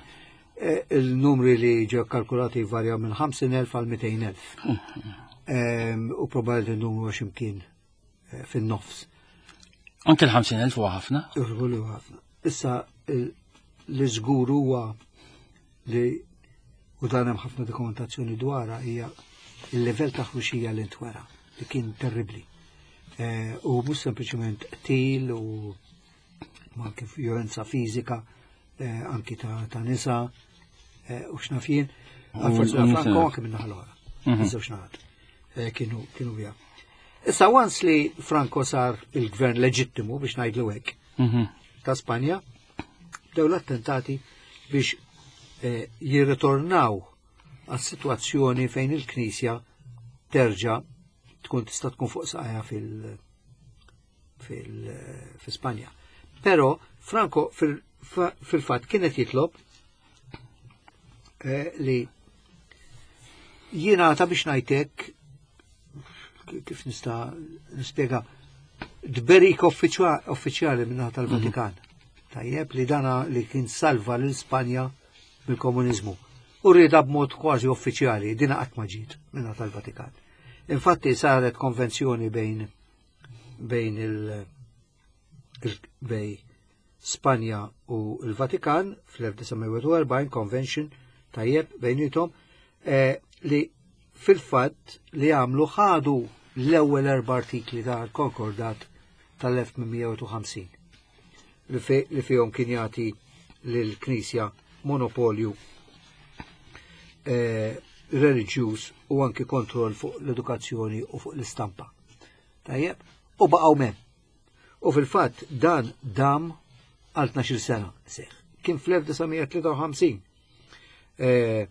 Eh, Il-numri li ġew kalkulati varjaw minn ħamsin elf għal mitejn elf. Em, U probabbli il-numru għax imkien eh, fin-nofs. Anke l-ħamsin elf huwa ħafna. Irħulu ħafna. Issa il- li żgur huwa li u dan hemm ħafna dokumentazzjoni dwarha hija il-livell ta' ħruxija li ntwera li kien terribli. Eh, U mhux sempliċement qtil u ma anke violenza fiżika, eh, anki ta' ta' nisa eh, u x'naf jien. Għal-forzi u nisa. Franco anke minn naħa l-oħra. Mhm. Iż-żewġ naħat. Eh, Kienu kienu bija. Issa once li Franco sar il-gvern leġittimu biex ngħidlu hekk Mhm. ta' Spanja, bdew l-attentati biex eh, jirritornaw għas-sitwazzjoni fejn il-Knisja terġa' tkun tista' tkun fuq saqajha fil fil fi Spanja. Però Franco fil- fa- fil-fatt kienet jitlob eh, li jingħata biex ngħidlek kif nista' nispjega tberik uffiċjali minnaħa tal-Vatikan. Tajjeb li dana li kien salva lil Spanja mill-komuniżmu. U rida b'mod kważi uffiċjali, dina qatt ma ġiet minnaħa tal-Vatikan. Infatti saret konvenzjoni bejn bejn il, il bejn Spanja u l-Vatikan fl-elf disa' mija u erbgħin convention tajjeb bejnietom eh, li fil-fatt li għamlu ħadu l-ewwel erba' artikli tal-Konkordat tal-elf tmien mija u ħamsin li fi- li fihom kien jagħti lill-Knisja monopolju eh, reliġjuż u anki kontroll fuq l-edukazzjoni u fuq l-istampa. Tajjeb, u baqgħu hemm. U fil-fatt dan dam għal tnax-il sena seħ. Kien fl-elf disa' mija tlieta u ħamsin eh,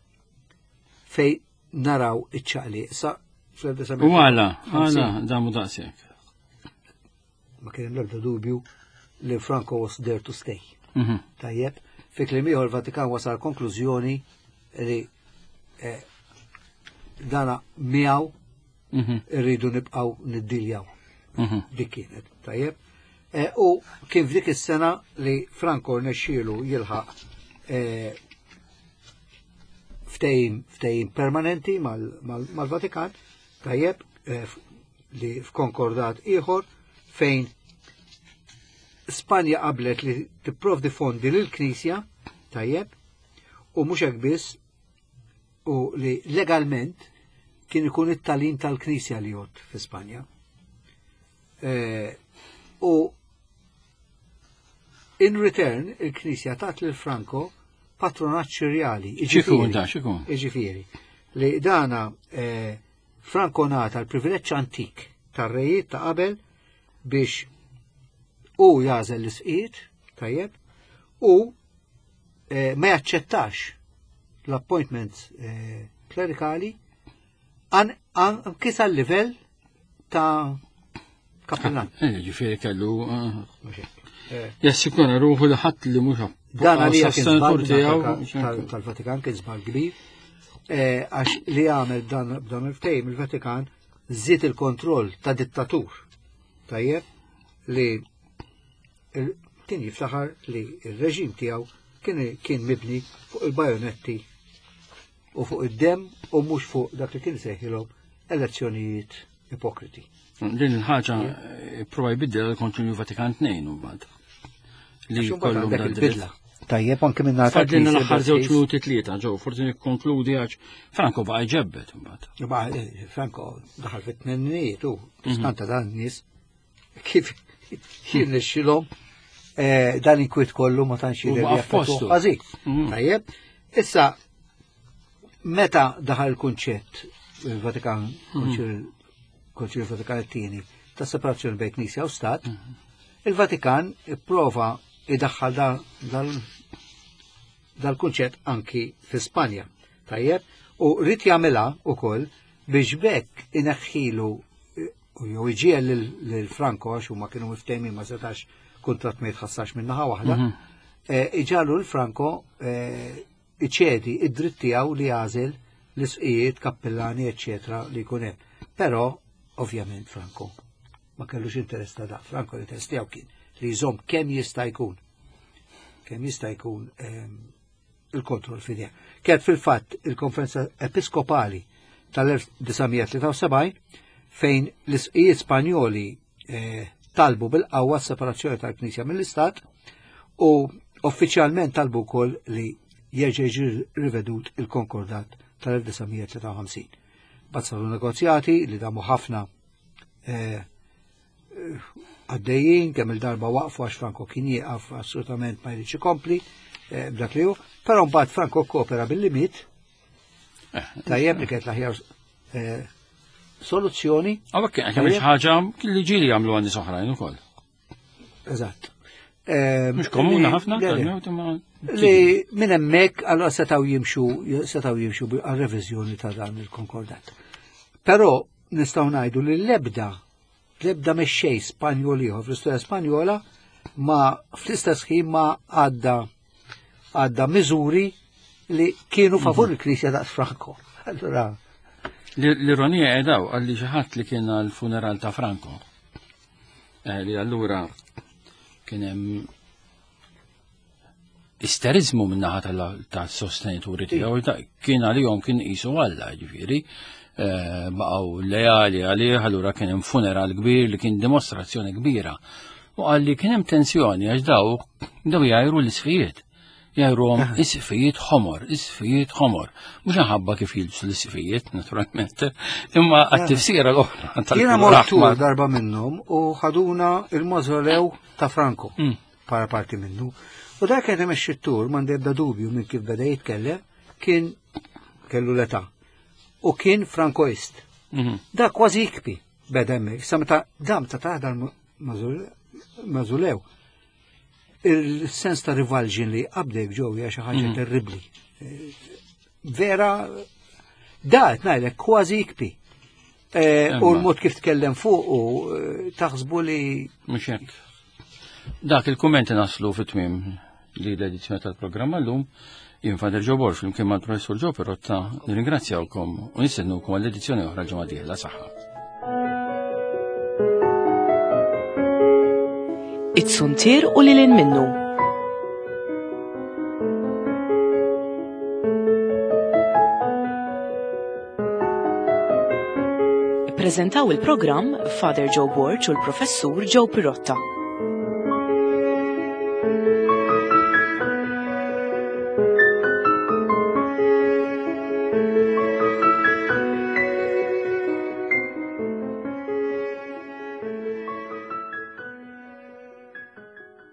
fej naraw iċ-ċaqli. Sa fl-elf disa' mija tlieta u ħamsin U għala, għala, damu daqshekk. Ma kien hemm l-ebda dubju li Franco was there to stay. Mhm. Tajjeb, fi kliem ieħor Vatikan wasal konklużjoni li eh, dana miegħu Mhm. irridu nibqgħu niddiljaw. Mhm. Dik kienet, tajjeb. Eh, U kien f'dik is-sena li Franco rnexxielu jilħaq eh, ftehim ftehim permanenti mal- mal- mal-Vatikan, tajjeb, eh, f- li f'konkordat ieħor fejn Spanja qablet li tipprovdi fondi lill-Knisja, tajjeb, u mhux hekk biss, u li legalment kien ikun it-tagħlim tal-Knisja li jgħod fi Spanja. Eh, u in return il-Knisja tat lil Franco patronaġġ reali. X'ikun da, x'ikun? Iġifieri, li dana eh, Franco ngħata l-privileġġ antik tar-rejiet ta' qabel biex u jagħżel l-isqfijiet, tajjeb, u eh, ma jaċċettax l-appointments eh, klerikali an, an, anki sal-livell ta' kappillan. Eh, Ġifieri kellu eh, Mhux hekk. Eh, jassikura ruħu li ħadd li mhux Dan għalija kien żball sostenatur tal- tiegħu. tal- tal-Vatikan kien żball kbir, eh, għax li għamel dan b'dan il-ftehim il-Vatikan żied il-kontroll ta' dittatur. Tajjeb li il- kien jiftaħar li il-reġim tiegħu kien kien mibni fuq il-bajonetti u fuq id-dem u mhux fuq dak li kien sejħilhom elezzjonijiet ipokriti. Din il-ħaġa eh, prova jbiddel il-Konċilju Vatikan tnejn u mbagħad. Li Għax imbagħad kollu għandek dan il-bidla. Tajjeb anke minn Fadlilna l-aħħar żewġ minuti tlieta ġew, forsi nikkonkludi għax Franco baqa' jġebbet imbagħad. Ba, eh, Franco daħal fit-tmeninijiet u skanta dan nies kif jirnexxilhom eh, dan inkwiet kollu ma tantx U jidher li baqa' jaffettwa f'postu. ħażin. Mhm. Tajjeb, issa meta daħal il-kunċett il-Vatikan, Konċilju Vatikan it-tieni ta' separazzjoni bejn Knisja u Stat, il-Vatikan ipprova idaħħal da- dal- dal-kunċett anki fi Spanja. Tajjeb, u rrid jagħmilha ukoll biex bekk ineħħilu eh, u jew iġiegħel lil- lil Franco għax huma kienu miftehmin ma setax kuntratt ma jitħassarx minn naħa waħda, eh, iġagħlu lil Franco eh, iċedi id-dritt tiegħu li jagħżel l-isqijiet, kappellani, eċċetera li jkun hemm. Però, ovvjament, Franco ma kellux interess ta' da. Franco l-interess tiegħu kien li jżomm kemm jista' jkun kemm jista' jkun ehm, il-kontroll f'idejh. Kienet fil-fatt il-konferenza episkopali tal-elf disa' mija tlieta u sebgħin fejn l-isqijiet Spanjoli eh, talbu bil-qawwa separazzjoni tal-Knisja mill-Istat u uffiċjalment talbu wkoll li jerġa' jiġi rivedut il-konkordat tal-elf disa' mija tlieta u ħamsin. Mbagħad saru negozjati li damu ħafna eh, għaddejjin, kemm il-darba waqfu għax Franco kien jieqaf assolutament ma jridx ikompli eh, b'dak li hu, però mbagħad Franco kopera billi miet, tajjeb li kienet l-aħjar eh, soluzzjoni. Għawek kien hemm xi ħaġa li ġieli jagħmlu għan nies oħrajn ukoll. Eżatt. Eh, Mhux komuni li- ħafna, le, le. tal-mewt imma Li minn hemmhekk allora setgħu jimxu setgħu jimxu għal reviżjoni ta' dan il-konkordat. Però nistgħu ngħidu li l-ebda l-ebda mexxej Spanjol ieħor fl-istorja Spanjola ma fl-istess ħin ma għadda għadda miżuri li kienu favur il-Knisja daqs Franco. Allora, L-ironija edaw għalli xi ħadd li kien għal-funeral ta' Franco. Eh, Li allura kien hemm isterizmu min-naħa tal-sostenituri tiegħu da- kien għalihom kien qisu Alla, ġifieri, eh, baqgħu lejali għalih, allura kien hemm funeral kbir li kien dimostrazzjoni kbira. U għalli kien hemm tensjoni għax daw daw jgħajru l-isfijiet. Jgħajruhom isfijiet ħomor, isfijiet ħomor. Mhux ħabba kif jilbsu l-isfijiet, naturalment, imma għat-tifsira l-oħra Jiena tal-kulur mort tur aħmar. darba minnhom u ħaduna il-mausoleu ta' Franco Mm. para parti minnu. U dak kien imexxi t-tur m'għandi ebda dubju minn kif beda jitkellem kien kellu l-età u kien frankoist. Mhm. Da kważi jikbi beda hemmhekk. Sa meta dam ta' ta' dal-mausoleu. Il-sens ta' revulsion li qabdek ġew hija xi ħaġa terribbli. Eh, Vera, da qed ngħidlek kważi jikbi. Eh, U Imma. l-mod kif tkellem fuq u eh, taħsbu li Mhux hekk. Dak il-kummenti naslu fit-tmiem li l-edizzjoni tal-programma llum. Jien Father Joe Borg flimkien mal-Professur Joe Pirotta nirringrazzjawkom u nistennukom għall-edizzjoni oħra ġimgħa dieħla saħħa. It-suntier u lil minnu. Ippreżentaw il-programm Father Joe Borg u l-Professur Joe Pirotta.